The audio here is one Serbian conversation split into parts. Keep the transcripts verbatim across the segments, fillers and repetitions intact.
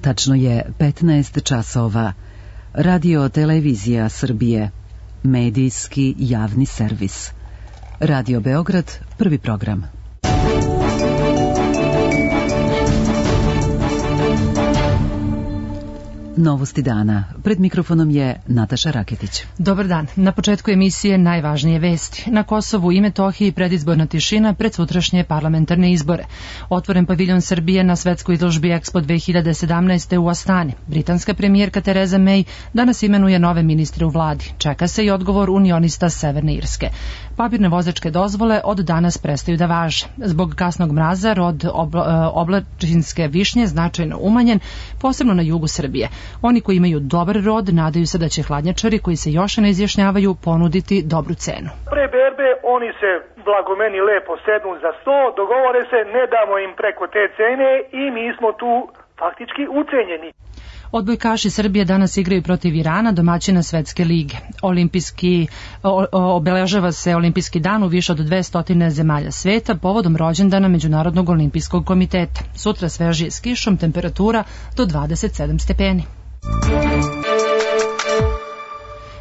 Tačno je petnaest časova. Radio Televizija Srbije. Medijski javni servis. Radio Beograd, prvi program. Novosti dana. Pred mikrofonom je Nataša Raketić. Dobar dan. Na početku emisije najvažnije vesti. Na Kosovu i Metohiji predizborna tišina pred sutrašnje parlamentarne izbore. Otvoren paviljon Srbije na svetskoj izložbi Expo dve hiljade sedamnaeste. u Astani. Britanska premijerka Tereza May danas imenuje nove ministre u vladi. Čeka se i odgovor unionista Severne Irske. Papirne vozačke dozvole od danas prestaju da važe. Zbog kasnog mraza rod obla, oblačinske višnje značajno umanjen, posebno na jugu Srbije. Oni koji imaju dobar rod nadaju se da će hladnjačari koji se još ne izjašnjavaju ponuditi dobru cenu. Pre berbe oni se blagomeni lepo sednu za sto, dogovore se, ne damo im preko te cene i mi smo tu faktički ucenjeni. Odbojkaši Srbije danas igraju protiv Irana, domaćina Svetske lige. Olimpijski, o, obeležava se Olimpijski dan u više od dvesta zemalja sveta povodom rođendana Međunarodnog olimpijskog komiteta. Sutra svežije s kišom, temperatura do dvadeset sedam stepeni.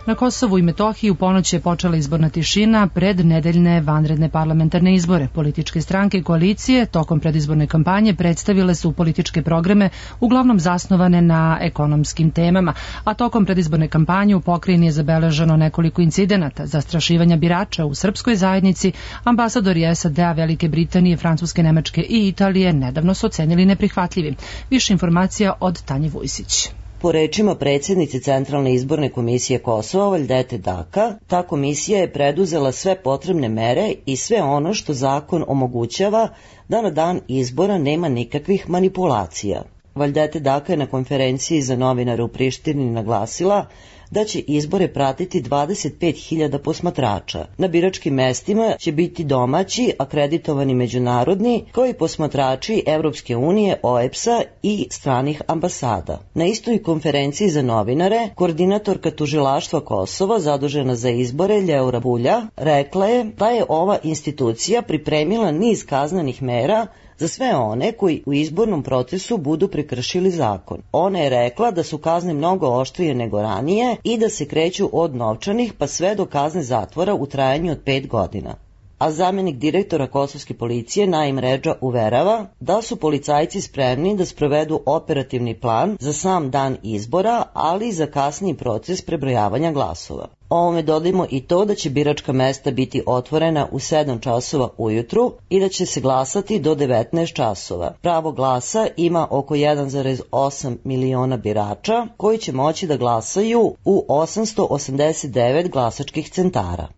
Na Kosovu i Metohiji u ponoć je počela izborna tišina pred nedeljne vanredne parlamentarne izbore. Političke stranke i koalicije tokom predizborne kampanje predstavile su političke programe uglavnom zasnovane na ekonomskim temama, a tokom predizborne kampanje u pokrajini je zabeleženo nekoliko incidenata, zastrašivanja birača u srpskoj zajednici. Ambasadori S A D-a, Velike Britanije, Francuske, Nemačke i Italije nedavno su ocenili neprihvatljivim. Više informacija od Tanje Vujsić. Po rečima predsjednice Centralne izborne komisije Kosova, Valdete Daka, ta komisija je preduzela sve potrebne mere i sve ono što zakon omogućava da na dan izbora nema nikakvih manipulacija. Valdete Daka je na konferenciji za novinare u Prištini naglasila da će izbore pratiti dvadeset pet hiljada posmatrača. Na biračkim mestima će biti domaći, akreditovani međunarodni, kao i posmatrači Evropske unije, O E B S-a i stranih ambasada. Na istoj konferenciji za novinare, koordinatorka tužilaštva Kosova, zadužena za izbore, Ljeura Bulja, rekla je da je ova institucija pripremila niz kaznenih mera za sve one koji u izbornom procesu budu prekršili zakon. Ona je rekla da su kazne mnogo oštrije nego ranije i da se kreću od novčanih pa sve do kazne zatvora u trajanju od pet godina. A zamjenik direktora kosovske policije Naim Redža uverava da su policajci spremni da sprovedu operativni plan za sam dan izbora, ali i za kasniji proces prebrojavanja glasova. Ovome dodajmo i to da će biračka mesta biti otvorena u sedam časova ujutru i da će se glasati do devetnaest časova. Pravo glasa ima oko jedan zarez osam miliona birača koji će moći da glasaju u osamsto osamdeset devet glasačkih centara.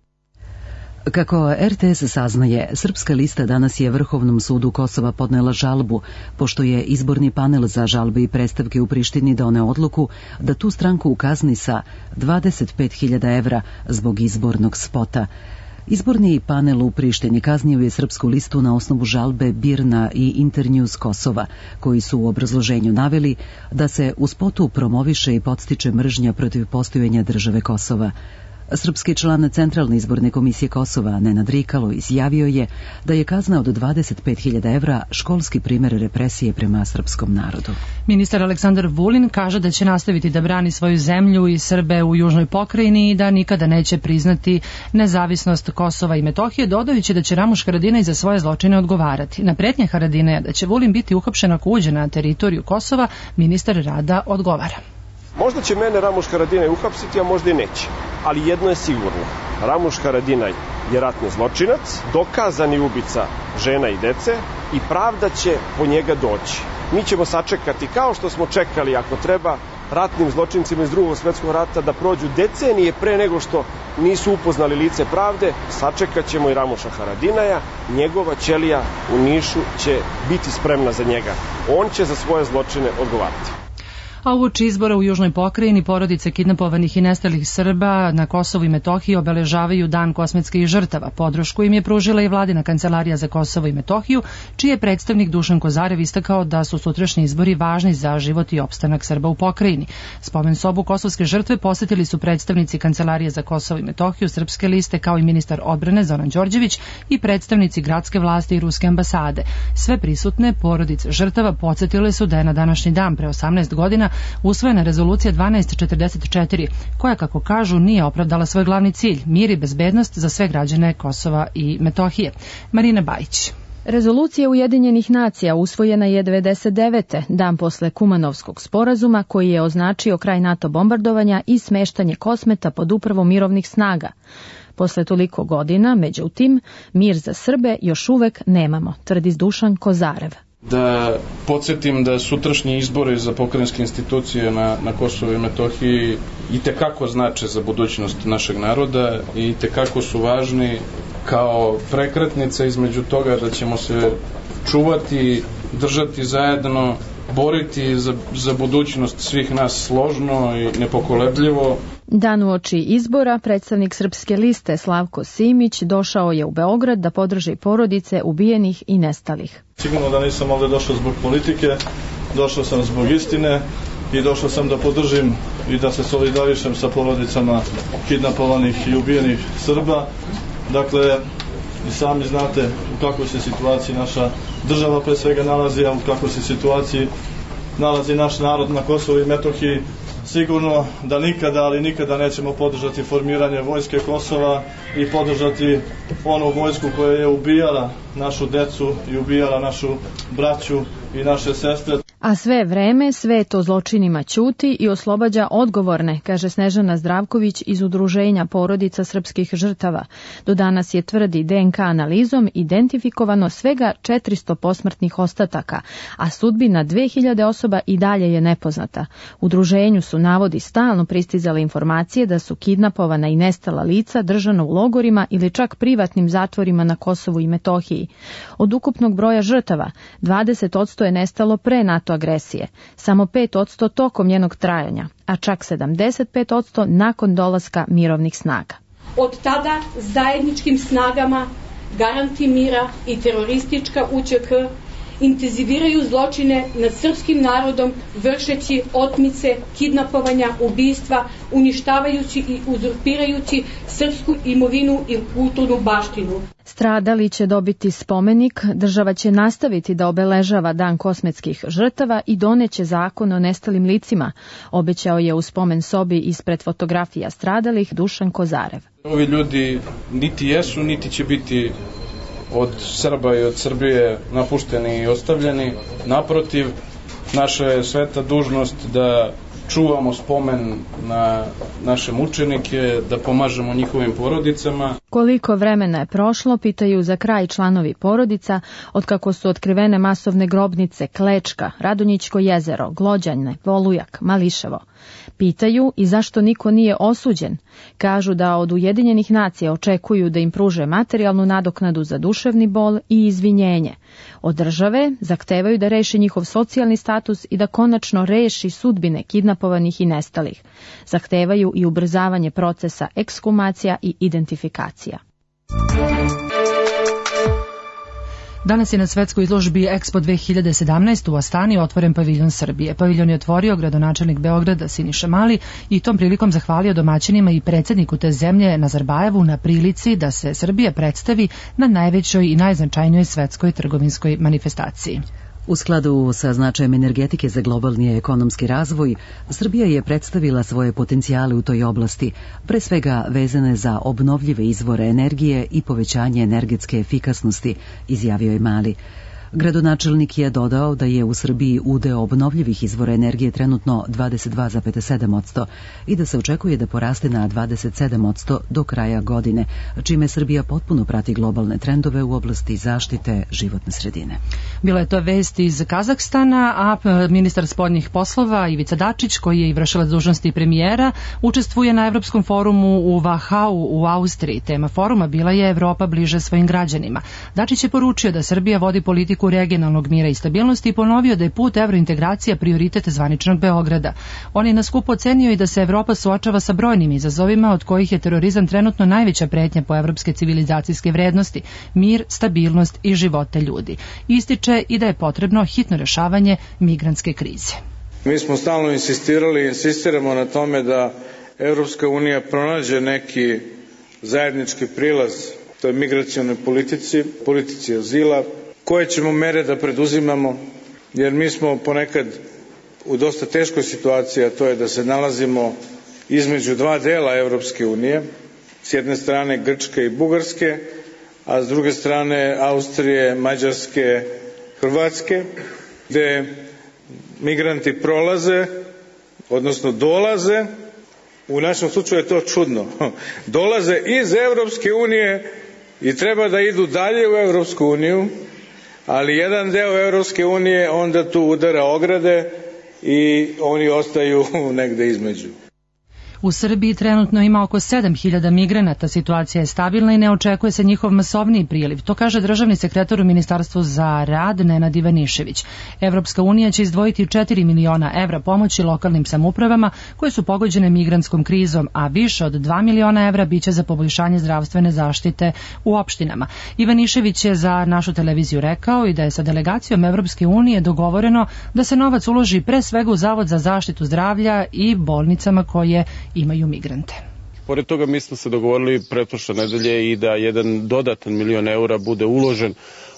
Kako R T S saznaje, Srpska lista danas je Vrhovnom sudu Kosova podnela žalbu, pošto je izborni panel za žalbe i predstavke u Prištini doneo odluku da tu stranku kazni sa dvadeset pet hiljada evra zbog izbornog spota. Izborni panel u Prištini kaznio je Srpsku listu na osnovu žalbe Birna i Internews Kosova, koji su u obrazloženju naveli da se u spotu promoviše i podstiče mržnja protiv postojanja države Kosova. Srpski član Centralne izborne komisije Kosova, Nenad Rikalo, izjavio je da je kazna od dvadeset pet hiljada evra školski primer represije prema srpskom narodu. Ministar Aleksandar Vulin kaže da će nastaviti da brani svoju zemlju i Srbe u južnoj pokrajini i da nikada neće priznati nezavisnost Kosova i Metohije, dodajući da će Ramuš Haradinaj za svoje zločine odgovarati. Na pretnje Haradinaja da će Vulin biti uhapšen ako uđe na teritoriju Kosova, ministar rada odgovara. Možda će mene Ramuš Haradinaj uhapsiti, a možda i neće. Ali jedno je sigurno. Ramuš Haradinaj je ratni zločinac, dokazani ubica žena i dece i pravda će po njega doći. Mi ćemo sačekati, kao što smo čekali, ako treba, ratnim zločincima iz drugog svjetskog rata da prođu decenije pre nego što nisu upoznali lice pravde. Sačekat ćemo i Ramuša Haradinaja. Njegova ćelija u Nišu će biti spremna za njega. On će za svoje zločine odgovarati. A uoči izbora u Južnoj pokrajini porodice kidnapovanih i nestalih Srba na Kosovu i Metohiji obeležavaju Dan kosmetskih žrtava. Podršku im je pružila i vladina kancelarija za Kosovo i Metohiju, čiji je predstavnik Dušan Kozarev istakao da su sutrašnji izbori važni za život i opstanak Srba u pokrajini. Spomen sobu kosovske žrtve posetili su predstavnici kancelarije za Kosovo i Metohiju, Srpske liste, kao i ministar odbrane Zoran Đorđević i predstavnici gradske vlasti i ruske ambasade. Sve prisutne porodice žrtava podsjetile su da je na današnji dan pre osamnaest godina usvojena rezolucija dvanaest četrdeset četiri, koja, kako kažu, nije opravdala svoj glavni cilj, mir i bezbednost za sve građane Kosova i Metohije. Marina Bajić. Rezolucija Ujedinjenih nacija usvojena je devedeset devete. dan posle Kumanovskog sporazuma, koji je označio kraj NATO bombardovanja i smeštanje Kosmeta pod upravom mirovnih snaga. Posle toliko godina, međutim, mir za Srbe još uvek nemamo, tvrdi Dušan Kozarev. Da podsjetim da sutrašnji izbori za pokrajinske institucije na, na Kosovu i Metohiji i tekako znače za budućnost našeg naroda i tekako su važni kao prekretnica između toga da ćemo se čuvati, držati zajedno, boriti za, za budućnost svih nas složno i nepokolebljivo. Dan uoči izbora predstavnik Srpske liste Slavko Simić došao je u Beograd da podrži porodice ubijenih i nestalih. Sigurno da nisam ovdje došao zbog politike, došao sam zbog istine i došao sam da podržim i da se solidarišem sa porodicama kidnapovanih i ubijenih Srba. Dakle, i sami znate u kakvoj se situaciji naša država pre svega nalazi, a u kakvoj se situaciji nalazi naš narod na Kosovu i Metohiji. Sigurno da nikada, ali nikada nećemo podržati formiranje vojske Kosova i podržati onu vojsku koja je ubijala našu decu i ubijala našu braću i naše sestre. A sve vreme svet o zločinima ćuti i oslobađa odgovorne, kaže Snežana Zdravković iz Udruženja porodica srpskih žrtava. Do danas je, tvrdi, de en ka analizom identifikovano svega četiristo posmrtnih ostataka, a sudbina dve hiljade osoba i dalje je nepoznata. Udruženju su, navodi, stalno pristizale informacije da su kidnapovana i nestala lica držana u logorima ili čak privatnim zatvorima na Kosovu i Metohiji. Od ukupnog broja žrtava, dvadeset posto je nestalo pre NATO agresije, samo pet posto tokom njenog trajanja, a čak sedamdeset pet posto nakon dolaska mirovnih snaga. Od tada zajedničkim snagama Garanti mira i teroristička u će ke intenziviraju zločine nad srpskim narodom, vršeći otmice, kidnapovanja, ubistva, uništavajući i uzurpirajući srpsku imovinu i kulturnu baštinu. Stradali će dobiti spomenik, država će nastaviti da obeležava Dan kosmetskih žrtava i doneće zakon o nestalim licima, obećao je u spomen sobi ispred fotografija stradalih Dušan Kozarev. Ovi ljudi niti jesu, niti će biti od Srba i od Srbije napušteni i ostavljeni. Naprotiv, naša je sveta dužnost da čuvamo spomen na naše mučenike, da pomažemo njihovim porodicama. Koliko vremena je prošlo, pitaju za kraj članovi porodica, otkako su otkrivene masovne grobnice Klečka, Radonjićko jezero, Glođane, Volujak, Mališevo. Pitaju i zašto niko nije osuđen. Kažu da od Ujedinjenih nacija očekuju da im pruže materijalnu nadoknadu za duševni bol i izvinjenje. Od države zahtevaju da reši njihov socijalni status i da konačno reši sudbine kidnapovanih i nestalih. Zahtevaju i ubrzavanje procesa ekshumacija i identifikacija. Danas je na svetskoj izložbi Expo dve hiljade sedamnaest u Astani otvoren paviljon Srbije. Paviljon je otvorio gradonačelnik Beograda Siniša Mali i tom prilikom zahvalio domaćinima i predsjedniku te zemlje Nazarbajevu na prilici da se Srbija predstavi na najvećoj i najznačajnijoj svetskoj trgovinskoj manifestaciji. U skladu sa značajem energetike za globalni ekonomski razvoj, Srbija je predstavila svoje potencijale u toj oblasti, pre svega vezane za obnovljive izvore energije i povećanje energetske efikasnosti, izjavio je Mali. Gradonačelnik je dodao da je u Srbiji udeo obnovljivih izvora energije trenutno dvadeset dva zarez sedam posto i da se očekuje da poraste na dvadeset sedam posto do kraja godine, čime Srbija potpuno prati globalne trendove u oblasti zaštite životne sredine. Bila je to vest iz Kazahstana, a ministar spoljnih poslova Ivica Dačić, koji je i vršilac dužnosti premijera, učestvuje na Evropskom forumu u Vahau u Austriji. Tema foruma bila je Evropa bliže svojim građanima. Dačić je poručio da Srbija vodi politiku politiku regionalnog mira i stabilnosti i ponovio da je put evrointegracija prioritet zvaničnog Beograda. On je na skupu ocenio i da se Evropa suočava sa brojnim izazovima, od kojih je terorizam trenutno najveća pretnja po evropske civilizacijske vrednosti, mir, stabilnost i živote ljudi. Ističe i da je potrebno hitno rešavanje migrantske krize. Mi smo stalno insistirali, insistiramo na tome da Evropska unija pronađe neki zajednički prilaz toj migracionoj politici, politici azila, koje ćemo mere da preduzimamo, jer mi smo ponekad u dosta teškoj situaciji, a to je da se nalazimo između dva dela Evropske unije, s jedne strane Grčke i Bugarske, a s druge strane Austrije, Mađarske, Hrvatske, gde migranti prolaze, odnosno dolaze, u našem slučaju je to čudno, dolaze iz Evropske unije i treba da idu dalje u Evropsku uniju, ali jedan deo Evropske unije onda tu udara ograde i oni ostaju negde između. U Srbiji trenutno ima oko sedam hiljada migranata, situacija je stabilna i ne očekuje se njihov masovniji priliv. To kaže državni sekretar u Ministarstvu za rad Nenad Ivanišević. Evropska unija će izdvojiti četiri miliona evra pomoći lokalnim samoupravama koje su pogođene migrantskom krizom, a više od dva miliona evra biće za poboljšanje zdravstvene zaštite u opštinama. Ivanišević je za našu televiziju rekao i da je sa delegacijom Evropske unije dogovoreno da se novac uloži pre svega u Zavod za zaštitu zdravlja i bolnicama koje imaju migrante. Pored toga mi smo se dogovorili pretprošle nedelje i da jedan dodatan milion eura bude uložen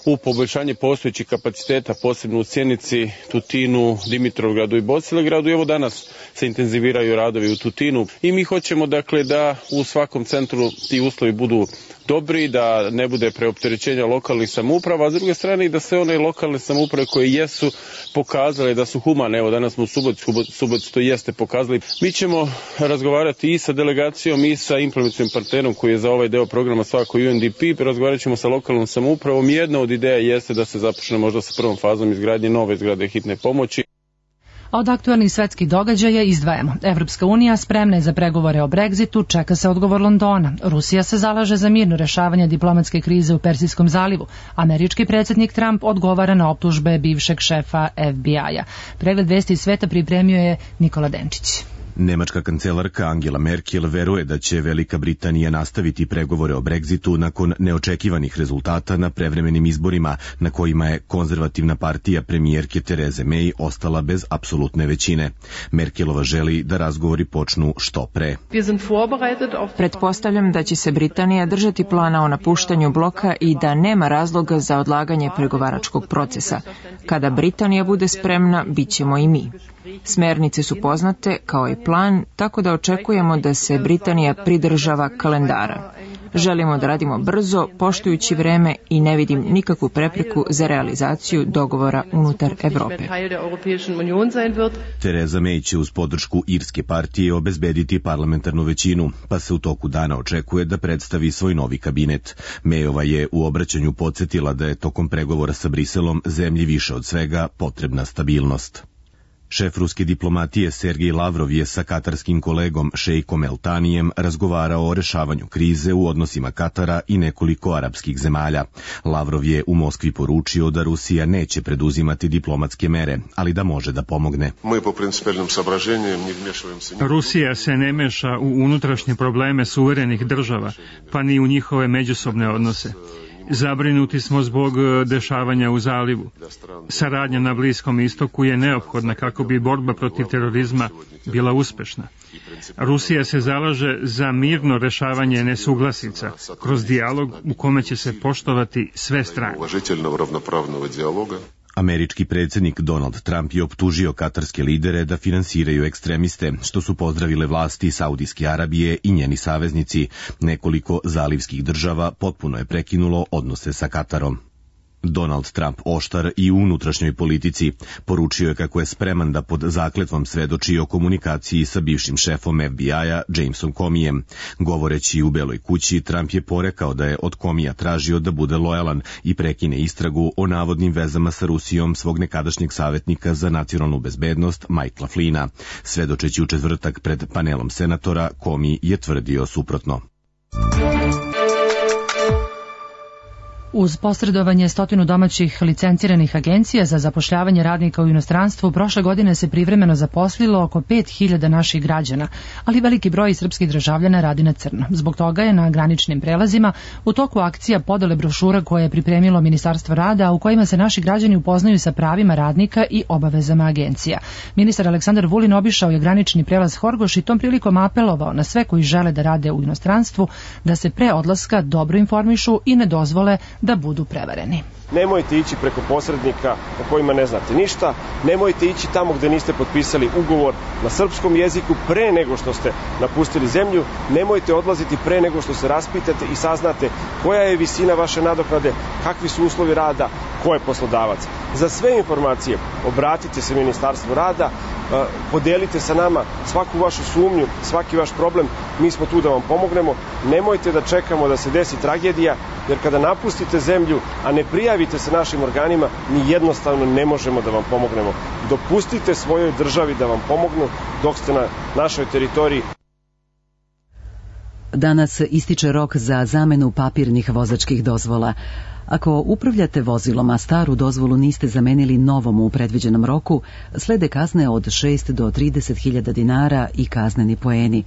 u poboljšanje postojećih kapaciteta, posebno u Sjenici, Tutinu, Dimitrovgradu i Bosilegradu. I evo danas se intenziviraju radovi u Tutinu i mi hoćemo dakle da u svakom centru ti uslovi budu dobri, da ne bude preopterećenja lokalnih samouprava, a s druge strane i da sve one lokalne samouprave koje jesu pokazale da su humane, evo danas smo u Subotici, Subotici to jeste pokazali. Mi ćemo razgovarati i sa delegacijom i sa implementacijom partnerom koji je za ovaj deo programa svako U N D P, razgovarat ćemo sa lokalnom samoupravom. Jedna od ideja jeste da se započne možda sa prvom fazom izgradnje nove zgrade hitne pomoći. A od aktualnih svetskih događaja izdvajamo. Evropska unija spremna je za pregovore o Brexitu, čeka se odgovor Londona. Rusija se zalaže za mirno rešavanje diplomatske krize u Persijskom zalivu. Američki predsjednik Trump odgovara na optužbe bivšeg šefa F B I-a. Pregled vesti iz sveta pripremio je Nikola Denčić. Nemačka kancelarka Angela Merkel veruje da će Velika Britanija nastaviti pregovore o Brexitu nakon neočekivanih rezultata na prevremenim izborima na kojima je konzervativna partija premijerke Tereze May ostala bez apsolutne većine. Merkelova želi da razgovori počnu što pre. Pretpostavljam da će se Britanija držati plana o napuštanju bloka i da nema razloga za odlaganje pregovaračkog procesa. Kada Britanija bude spremna, bit ćemo i mi. Smernice su poznate kao i plan, tako da očekujemo da se Britanija pridržava kalendara. Želimo da radimo brzo, poštujući vreme i ne vidim nikakvu prepreku za realizaciju dogovora unutar Evrope. Tereza May će uz podršku Irske partije obezbediti parlamentarnu većinu, pa se u toku dana očekuje da predstavi svoj novi kabinet. Mayova je u obraćanju podsjetila da je tokom pregovora sa Briselom zemlji više od svega potrebna stabilnost. Šef ruske diplomatije Sergej Lavrov je sa katarskim kolegom šejkom El Tanijem razgovarao o rešavanju krize u odnosima Katara i nekoliko arapskih zemalja. Lavrov je u Moskvi poručio da Rusija neće preduzimati diplomatske mere, ali da može da pomogne. Rusija se ne meša u unutrašnje probleme suverenih država, pa ni u njihove međusobne odnose. Zabrinuti smo zbog dešavanja u zalivu. Saradnja na Bliskom istoku je neophodna kako bi borba protiv terorizma bila uspešna. Rusija se zalaže za mirno rešavanje nesuglasica kroz dijalog u kome će se poštovati sve strane. Američki predsjednik Donald Trump je optužio katarske lidere da finansiraju ekstremiste, što su pozdravile vlasti Saudijske Arabije i njeni saveznici. Nekoliko zalivskih država potpuno je prekinulo odnose sa Katarom. Donald Trump oštar i u unutrašnjoj politici. Poručio je kako je spreman da pod zakletvom svedoči o komunikaciji sa bivšim šefom F B I-a Jamesom Comijem. Govoreći u Beloj kući, Trump je porekao da je od Comija tražio da bude lojalan i prekine istragu o navodnim vezama sa Rusijom svog nekadašnjeg savjetnika za nacionalnu bezbednost Michaela Flynna. Svedočeći u četvrtak pred panelom senatora, Comey je tvrdio suprotno. Uz posredovanje stotinu domaćih licenciranih agencija za zapošljavanje radnika u inostranstvu, prošle godine se privremeno zaposlilo oko pet hiljada naših građana, ali veliki broj srpskih državljana radi na crno. Zbog toga je na graničnim prelazima u toku akcija podele brošura koje je pripremilo Ministarstvo rada, u kojima se naši građani upoznaju sa pravima radnika i obavezama agencija. Ministar Aleksandar Vulin obišao je granični prelaz Horgoš i tom prilikom apelovao na sve koji žele da rade u inostranstvu da se pre odlaska dobro informišu i ne dozvole da budu prevareni. Nemojte ići preko posrednika o kojima ne znate ništa, nemojte ići tamo gde niste potpisali ugovor na srpskom jeziku pre nego što ste napustili zemlju, nemojte odlaziti pre nego što se raspitate i saznate koja je visina vaše nadoknade, kakvi su uslovi rada, ko je poslodavac. Za sve informacije obratite se Ministarstvu rada, podelite sa nama svaku vašu sumnju, svaki vaš problem, mi smo tu da vam pomognemo. Nemojte da čekamo da se desi tragedija, jer kada napustite zemlju, a ne prijavite se našim organima, mi jednostavno ne možemo da vam pomognemo. Dopustite svojoj državi da vam pomognu dok ste na našoj teritoriji. Danas ističe rok za zamenu papirnih vozačkih dozvola. Ako upravljate vozilom, a staru dozvolu niste zamenili novom u predviđenom roku, slede kazne od šest do trideset hiljada dinara i kazneni poeni.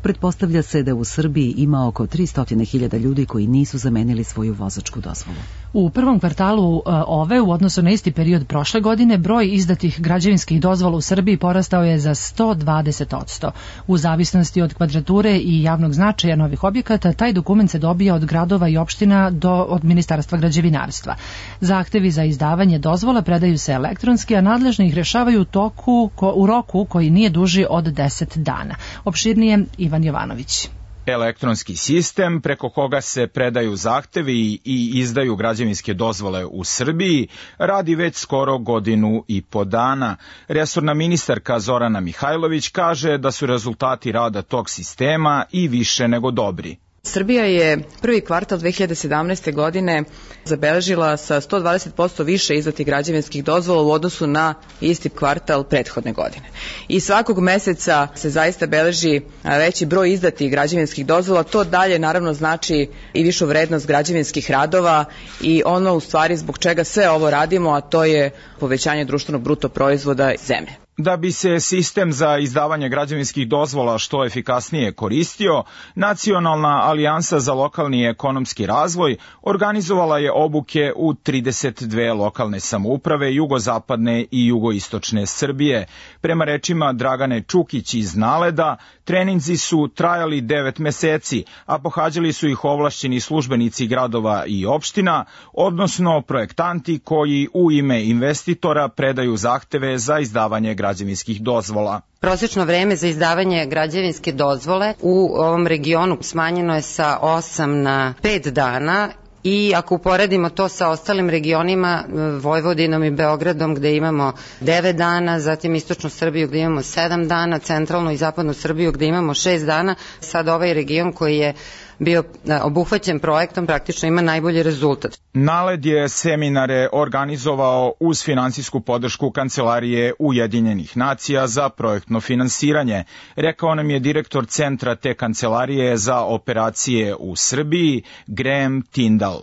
Pretpostavlja se da u Srbiji ima oko tristo hiljada ljudi koji nisu zamenili svoju vozačku dozvolu. U prvom kvartalu ove, u odnosu na isti period prošle godine, broj izdatih građevinskih dozvola u Srbiji porastao je za sto dvadeset odsto. U zavisnosti od kvadrature i javnog značaja novih objekata, taj dokument se dobija od gradova i opština do od Ministarstva građevinarstva. Zahtevi za izdavanje dozvola predaju se elektronski, a nadležni ih rešavaju u, toku, ko, u roku koji nije duži od deset dana. Opširnije Ivan Jovanović. Elektronski sistem preko koga se predaju zahtevi i izdaju građevinske dozvole u Srbiji radi već skoro godinu i po dana. Resorna ministarka Zorana Mihajlović kaže da su rezultati rada tog sistema i više nego dobri. Srbija je prvi kvartal dve hiljade sedamnaeste. godine zabeležila sa sto dvadeset posto više izdatih građevinskih dozvola u odnosu na isti kvartal prethodne godine. I svakog meseca se zaista beleži veći broj izdatih građevinskih dozvola, to dalje naravno znači i višu vrednost građevinskih radova i ono u stvari zbog čega sve ovo radimo, a to je povećanje društvenog bruto proizvoda zemlje. Da bi se sistem za izdavanje građevinskih dozvola što efikasnije koristio, Nacionalna alijansa za lokalni ekonomski razvoj organizovala je obuke u trideset dve lokalne samouprave jugozapadne i jugoistočne Srbije. Prema rečima Dragane Čukić iz Naleda, treninzi su trajali devet meseci, a pohađali su ih ovlašćeni službenici gradova i opština, odnosno projektanti koji u ime investitora predaju zahteve za izdavanje građevinskih dozvola. Prosečno vreme za izdavanje građevinske dozvole u ovom regionu smanjeno je sa osam na pet dana. I ako uporedimo to sa ostalim regionima, Vojvodinom i Beogradom gde imamo devet dana, zatim istočnu Srbiju gde imamo sedam dana, centralnu i zapadnu Srbiju gde imamo šest dana, sad ovaj region koji je bio obuhvaćen projektom praktično ima najbolji rezultat. Naled je seminare organizovao uz finansijsku podršku Kancelarije Ujedinjenih nacija za projektno finansiranje. Rekao nam je direktor centra te kancelarije za operacije u Srbiji, Graham Tyndall.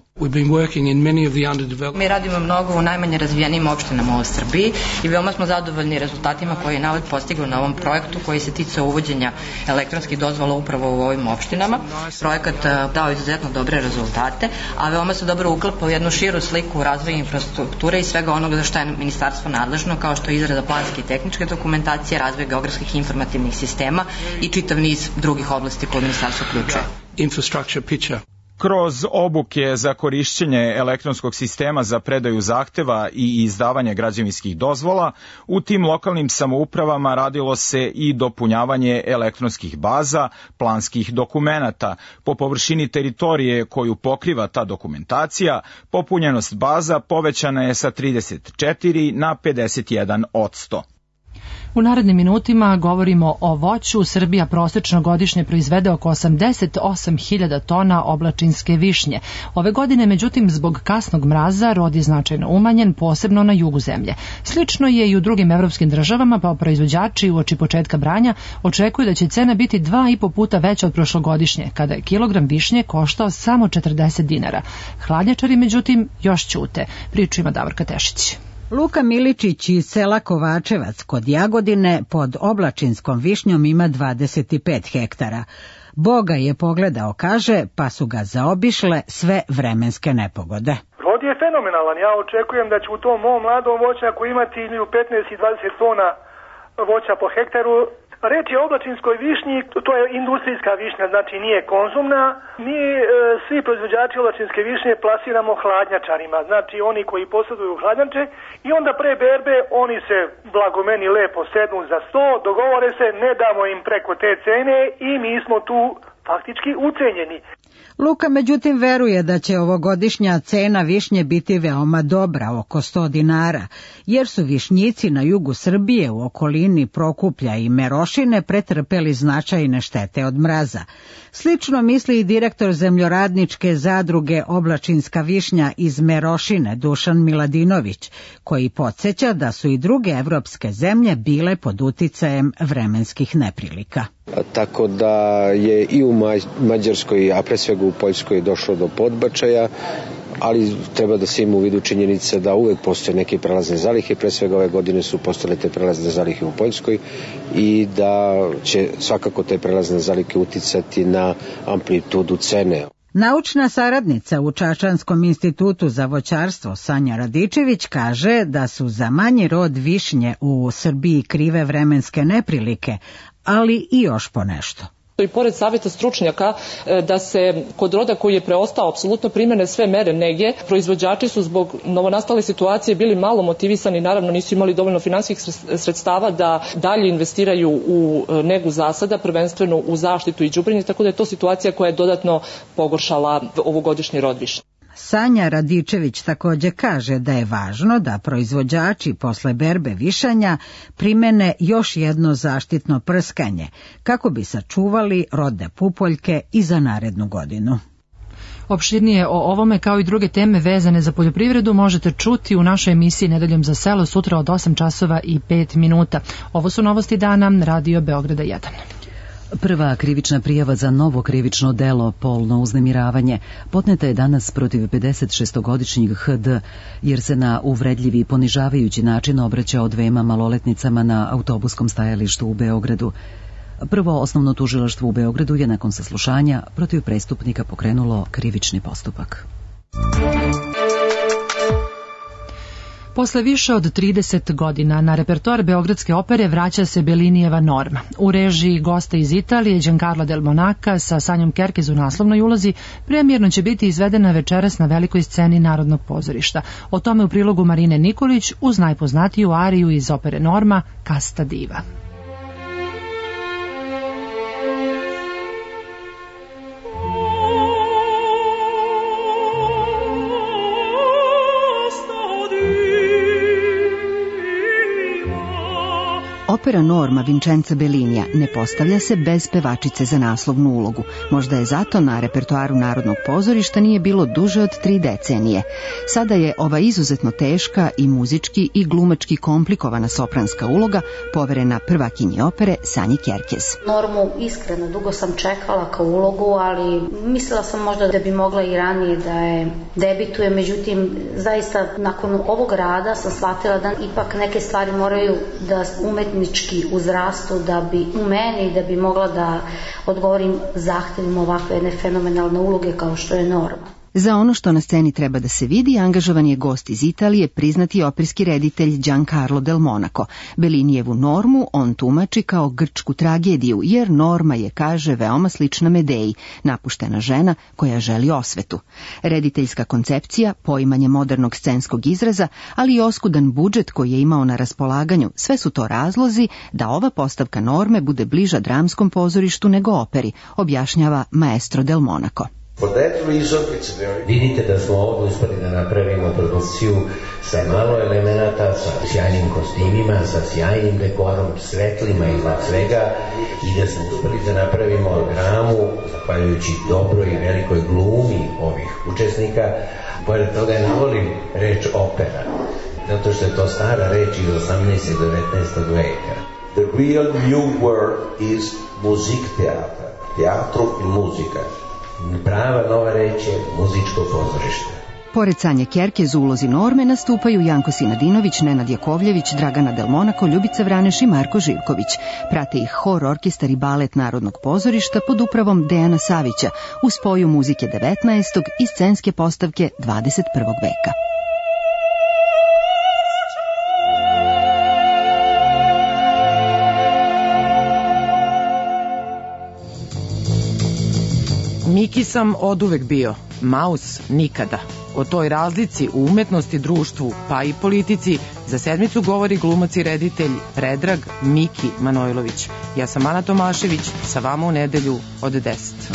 Mi radimo mnogo u najmanje razvijenim opštinama u Srbiji i veoma smo zadovoljni rezultatima koje je Naled postigao na ovom projektu koji se ticao uvođenja elektronskih dozvola upravo u ovim opštinama. Projekat dao izuzetno dobre rezultate, a veoma se dobro uklapa u jednu širu sliku razvoja infrastrukture i svega onoga za što je ministarstvo nadležno, kao što je izrada planske i tehničke dokumentacije, razvoj geografskih informativnih sistema i čitav niz drugih oblasti koje ministarstvo uključuje. Infrastructure picture. Kroz obuke za korišćenje elektronskog sistema za predaju zahteva i izdavanje građevinskih dozvola, u tim lokalnim samoupravama radilo se i dopunjavanje elektronskih baza, planskih dokumenata. Po površini teritorije koju pokriva ta dokumentacija, popunjenost baza povećana je sa trideset četiri na pedeset jedan odsto. U narednim minutima govorimo o voću. Srbija prosečno godišnje proizvede oko osamdeset osam hiljada tona oblačinske višnje. Ove godine, međutim, zbog kasnog mraza rod je značajno umanjen, posebno na jugu zemlje. Slično je i u drugim evropskim državama, pa proizvođači uoči početka branja očekuju da će cena biti dva i po puta veća od prošlogodišnje, kada je kilogram višnje koštao samo četrdeset dinara. Hladnjačari, međutim, još ćute. Priču ima Davorka Tešić. Luka Miličić iz sela Kovačevac kod Jagodine pod oblačinskom višnjom ima dvadeset pet hektara. Boga je pogledao, kaže, pa su ga zaobišle sve vremenske nepogode. Rod je fenomenalan. Ja očekujem da će u tom mom mladom voćnjaku imati između petnaest i dvadeset tona voća po hektaru. Reč je o oblačinskoj višnji, to je industrijska višnja, znači nije konzumna. Mi e, svi proizvođači oblačinske višnje plasiramo hladnjačarima, znači oni koji posjeduju hladnjače, i onda pre berbe oni se blagomeni lepo sednu za sto, dogovore se, ne damo im preko te cene i mi smo tu faktički ucenjeni. Luka međutim veruje da će ovogodišnja cena višnje biti veoma dobra, oko sto dinara, jer su višnjici na jugu Srbije u okolini Prokuplja i Merošine pretrpeli značajne štete od mraza. Slično misli i direktor zemljoradničke zadruge Oblačinska višnja iz Merošine, Dušan Miladinović, koji podsjeća da su i druge evropske zemlje bile pod uticajem vremenskih neprilika. Tako da je i u Mađarskoj, a pre svega u Poljskoj došlo do podbačaja, ali treba da se ima u vidu činjenice da uvek postoje neke prelazne zalihe, pre svega ove godine su postale te prelazne zalihe u Poljskoj i da će svakako te prelazne zalihe uticati na amplitudu cene. Naučna saradnica u Čačanskom institutu za voćarstvo Sanja Radičević kaže da su za manji rod višnje u Srbiji krive vremenske neprilike, ali i još ponešto. I pored savjeta stručnjaka da se kod roda koji je preostao apsolutno primene sve mere nege, proizvođači su zbog novonastale situacije bili malo motivisani, naravno nisu imali dovoljno finansijskih sredstava da dalje investiraju u negu zasada, prvenstveno u zaštitu i đubrenje, tako da je to situacija koja je dodatno pogoršala ovogodišnji rod višnje. Sanja Radičević također kaže da je važno da proizvođači posle berbe višanja primene još jedno zaštitno prskanje, kako bi sačuvali rodne pupoljke i za narednu godinu. Opširnije o ovome kao i druge teme vezane za poljoprivredu možete čuti u našoj emisiji Nedeljom za selo sutra od osam časova i pet minuta. Ovo su novosti dana, Radio Beograda jedan. Prva krivična prijava za novo krivično delo, polno uznemiravanje, podneta je danas protiv pedeset šestogodišnjeg H D, jer se na uvredljivi i ponižavajući način obraćao dvema maloletnicama na autobuskom stajalištu u Beogradu. Prvo osnovno tužilaštvo u Beogradu je nakon saslušanja protiv prestupnika pokrenulo krivični postupak. Posle više od trideset godina na repertoar Beogradske opere vraća se Bellinijeva Norma. U režiji gosta iz Italije Giancarlo del Monaca sa Sanjom Kerkez u naslovnoj ulozi premijerno će biti izvedena večeras na velikoj sceni Narodnog pozorišta. O tome u prilogu Marine Nikolić uz najpoznatiju ariju iz opere Norma Casta Diva. Opera Norma Vincenza Bellinija ne postavlja se bez pevačice za naslovnu ulogu. Možda je zato na repertoaru Narodnog pozorišta nije bilo duže od tri decenije. Sada je ova izuzetno teška i muzički i glumački komplikovana sopranska uloga poverena prvakinji opere Sanji Kerkez. Normu iskreno dugo sam čekala kao ulogu, ali mislila sam možda da bi mogla i ranije da je debituje, međutim zaista nakon ovog rada sam shvatila da ipak neke stvari moraju da umetnički uzrastu da bi u meni da bi mogla da odgovorim zahtevima ovakve jedne fenomenalne uloge kao što je Norma. Za ono što na sceni treba da se vidi, angažovan je gost iz Italije, priznati operski reditelj Giancarlo del Monaco. Bellinijevu Normu on tumači kao grčku tragediju, jer Norma je, kaže, veoma slična Medeji, napuštena žena koja želi osvetu. Rediteljska koncepcija, poimanje modernog scenskog izraza, ali i oskudan budžet koji je imao na raspolaganju, sve su to razlozi da ova postavka Norme bude bliža dramskom pozorištu nego operi, objašnjava maestro del Monaco. Vidite da smo ovdje uspeli da napravimo produkciju sa malo elemenata, sa sjajnim kostimima, sa sjajnim dekorom, svetlima iznad svega i da smo uspeli da napravimo dramu, zahvaljujući dobroj i velikoj glumi ovih učesnika. Pored toga ne volim reč opera, zato što je to stara reč iz osamnaestog i devetnaestog veka. The real new word is Musiktheater, teatro i muzika. Prava nova reč je muzičko pozorište. Pored Sanje Kerkez u ulozi Norme nastupaju Janko Sinadinović, Nenad Jakovljević, Dragana Del Monaco, Ljubica Vraneš i Marko Živković. Prate ih hor, orkestar i balet Narodnog pozorišta pod upravom Dejana Savića u spoju muzike devetnaestog i scenske postavke dvadeset prvog veka. Miki sam oduvek bio, Maus nikada. O toj razlici u umetnosti, društvu, pa i politici za sedmicu govori glumac i reditelj Predrag Miki Manojlović. Ja sam Ana Tomašević, sa vama u nedelju od deset.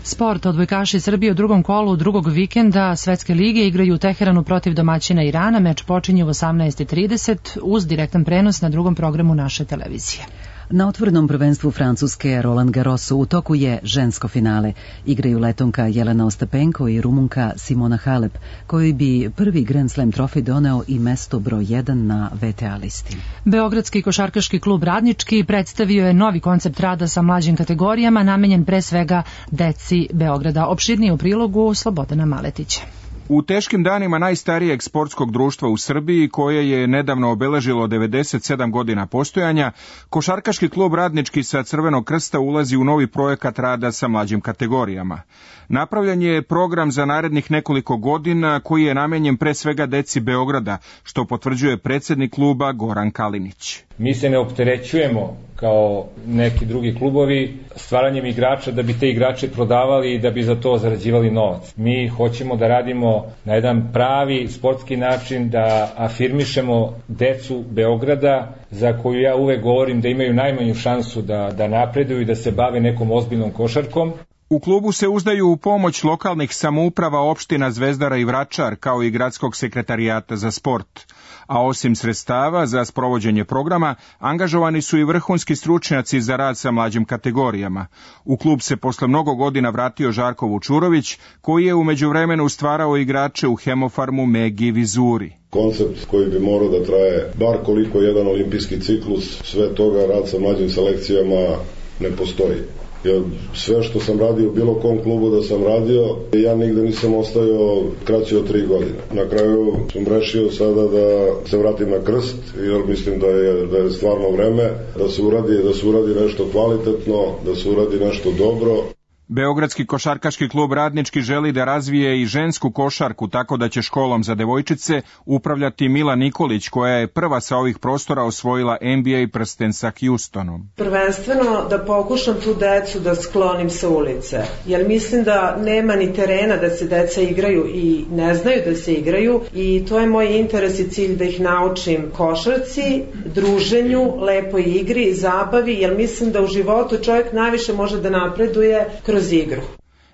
Sport. Odbojkaši Srbije u drugom kolu drugog vikenda Svetske lige igraju u Teheranu protiv domaćina Irana. Meč počinje u osamnaest i trideset uz direktan prenos na drugom programu naše televizije. Na otvorenom prvenstvu Francuske Roland Garrosu u toku je žensko finale. Igraju Letonka Jelena Ostapenko i Rumunka Simona Halep, koji bi prvi Grand Slam trofej doneo i mesto broj jedan na V T A listi. Beogradski košarkaški klub Radnički predstavio je novi koncept rada sa mlađim kategorijama, namenjen pre svega deci Beograda. Opširnije u prilogu Slobodana Maletića. U teškim danima najstarijeg sportskog društva u Srbiji, koje je nedavno obeležilo devedeset sedam godina postojanja, košarkaški klub Radnički sa Crvenog krsta ulazi u novi projekat rada sa mlađim kategorijama. Napravljen je program za narednih nekoliko godina koji je namenjen pre svega deci Beograda, što potvrđuje predsednik kluba Goran Kalinić. Mi se ne opterećujemo kao neki drugi klubovi stvaranjem igrača da bi te igrače prodavali i da bi za to zarađivali novac. Mi hoćemo da radimo na jedan pravi sportski način, da afirmišemo decu Beograda, za koju ja uvek govorim da imaju najmanju šansu da, da napreduju i da se bave nekom ozbiljnom košarkom. U klubu se uzdaju u pomoć lokalnih samouprava opština Zvezdara i Vračar, kao i gradskog sekretarijata za sport. A osim sredstava za sprovođenje programa, angažovani su i vrhunski stručnjaci za rad sa mlađim kategorijama. U klub se posle mnogo godina vratio Žarko Vučurović, koji je u međuvremenu stvarao igrače u Hemofarmu, Megi, Vizuri. Koncept koji bi morao da traje bar koliko jedan olimpijski ciklus, sve toga rad sa mlađim selekcijama ne postoji. Ja, sve što sam radio u bilo kom klubu da sam radio, ja nigde nisam ostajao kraće od tri godine. Na kraju sam rešio sada da se vratim na krst, jer mislim da je, da je stvarno vreme da se uradi, da se uradi nešto kvalitetno, da se uradi nešto dobro. Beogradski košarkaški klub Radnički želi da razvije i žensku košarku, tako da će školom za devojčice upravljati Mila Nikolić, koja je prva sa ovih prostora osvojila N B A prsten sa Houstonom. Prvenstveno da pokušam tu decu da sklonim sa ulice, jer mislim da nema ni terena da se deca igraju i ne znaju da se igraju, i to je moj interes i cilj, da ih naučim košarci, druženju, lepoj igri, zabavi, jer mislim da u životu čovjek najviše može da napreduje kroz igru.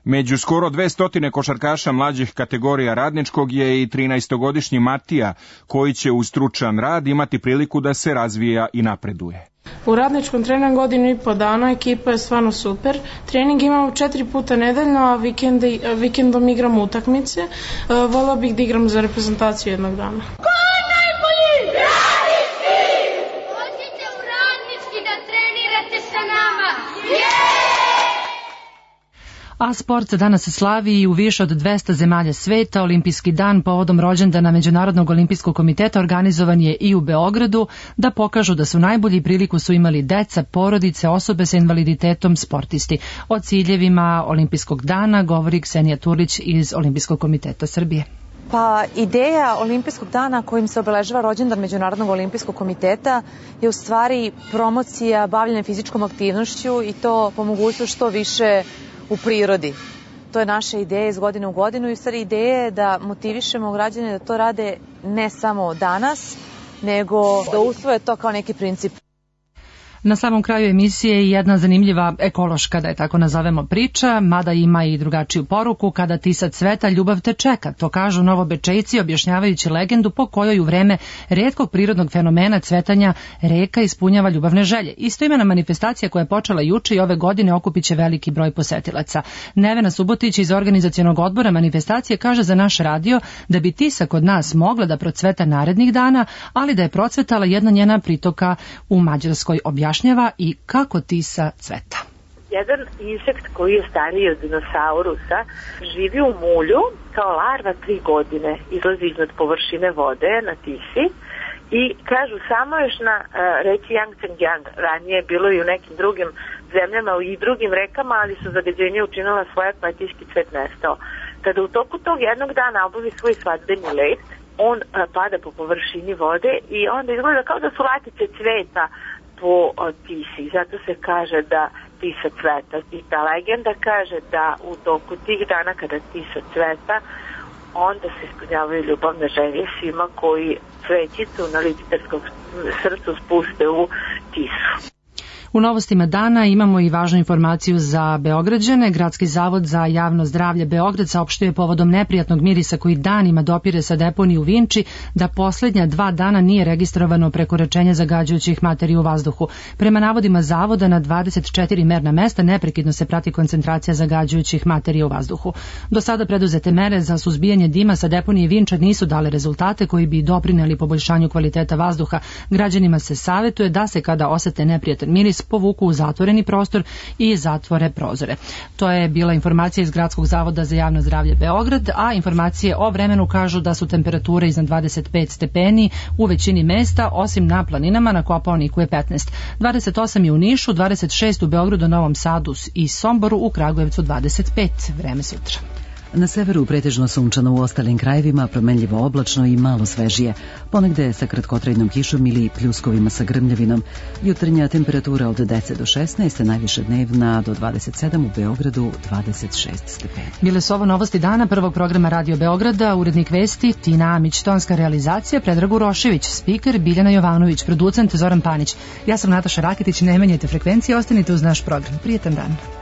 Među skoro dvesta košarkaša mlađih kategorija Radničkog je i trinaestogodišnji Matija, koji će uz stručan rad imati priliku da se razvija i napreduje. U Radničkom trenam godinu i po dana, ekipa je stvarno super. Trening imamo četiri puta nedeljno, a vikende, vikendom igramo utakmice. Volao bih da igram za reprezentaciju jednog dana. Ko je najbolji? Radnički! Dođite u Radnički da trenirate sa nama! Yeah! A sport se danas slavi i u više od dvesta zemalja sveta. Olimpijski dan povodom rođendana Međunarodnog olimpijskog komiteta organizovan je i u Beogradu, da pokažu da su najbolji priliku su imali deca, porodice, osobe sa invaliditetom, sportisti. O ciljevima Olimpijskog dana govori Ksenija Turlić iz Olimpijskog komiteta Srbije. Pa ideja Olimpijskog dana kojim se obeležava rođendan Međunarodnog olimpijskog komiteta je u stvari promocija bavljenja fizičkom aktivnošću, i to po mogućnosti što više u prirodi. To je naša ideja iz godine u godinu, i u stvari ideja je da motivišemo građane da to rade ne samo danas, nego da usvoje to kao neki princip. Na samom kraju emisije jedna zanimljiva ekološka, da je tako nazovemo, priča, mada ima i drugačiju poruku. Kada tisa cveta, ljubav te čeka. To kažu Novobečejci objašnjavajući legendu po kojoj u vreme retkog prirodnog fenomena cvetanja reka ispunjava ljubavne želje. Istoimena manifestacija koja je počela juče i ove godine okupit će veliki broj posetilaca. Nevena Subotić iz organizacionog odbora manifestacije kaže za naš radio da bi Tisa kod nas mogla da procveta narednih dana, ali da je procvetala jedna njena pritoka u Mađarskoj. Objašnjava i kako Tisa cveta. Jedan insekt koji je stariji od dinosaurusa živi u mulju kao larva tri godine, izlazi iznad površine vode na Tisi i kažu samo još na uh, reci Yangtze-Kiang, ranije je bilo i u nekim drugim zemljama i drugim rekama, ali su zagađenje učinila svoja pa je tiski cvet nestao. Kada u toku tog jednog dana obavi svoj svadbeni let, on uh, pada po površini vode i onda izgleda kao da su latice cveta po Tisi. Zato se kaže da Tisa cveta. I ta legenda kaže da u toku tih dana kada Tisa cveta, onda se ispunjavaju ljubavne želje svima koji cvećicu na Lipitarskom srcu spuste u Tisu. U novostima dana imamo i važnu informaciju za Beograđane. Gradski zavod za javno zdravlje Beograd saopštuje povodom neprijatnog mirisa koji danima dopire sa deponije u Vinči da posljednja dva dana nije registrovano prekoračenje zagađujućih materija u vazduhu. Prema navodima zavoda na dvadeset četiri merna mesta neprekidno se prati koncentracija zagađujućih materija u vazduhu. Do sada preduzete mere za suzbijanje dima sa deponije Vinča nisu dale rezultate koji bi doprineli poboljšanju kvaliteta vazduha. Građanima se savjetuje da se kada osete neprijatan miris povuku u zatvoreni prostor i zatvore prozore. To je bila informacija iz Gradskog zavoda za javno zdravlje Beograd, a informacije o vremenu kažu da su temperature iznad dvadeset pet stepeni u većini mesta, osim na planinama, na Kopaoniku je petnaest. dvadeset osam je u Nišu, dvadeset šest u Beogradu, Novom Sadu i Somboru, u Kragujevcu dvadeset pet. Vreme sutra. Na severu pretežno sunčano, u ostalim krajevima promenljivo oblačno i malo svežije, ponegde sa kratkotrajnom kišom ili pljuskovima sa grmljavinom. Jutarnja temperatura od deset do šesnaest, najviše dnevna do dvadeset sedam, u Beogradu dvadeset šest stepeni. Bile su ovo novosti dana prvog programa Radio Beograda, urednik vesti Tina Amić, tonska realizacija Predrag Urošević, spiker Biljana Jovanović, producent Zoran Panić. Ja sam Nataša Raketić, ne menjajte frekvencije, ostanite uz naš program. Prijetan dan.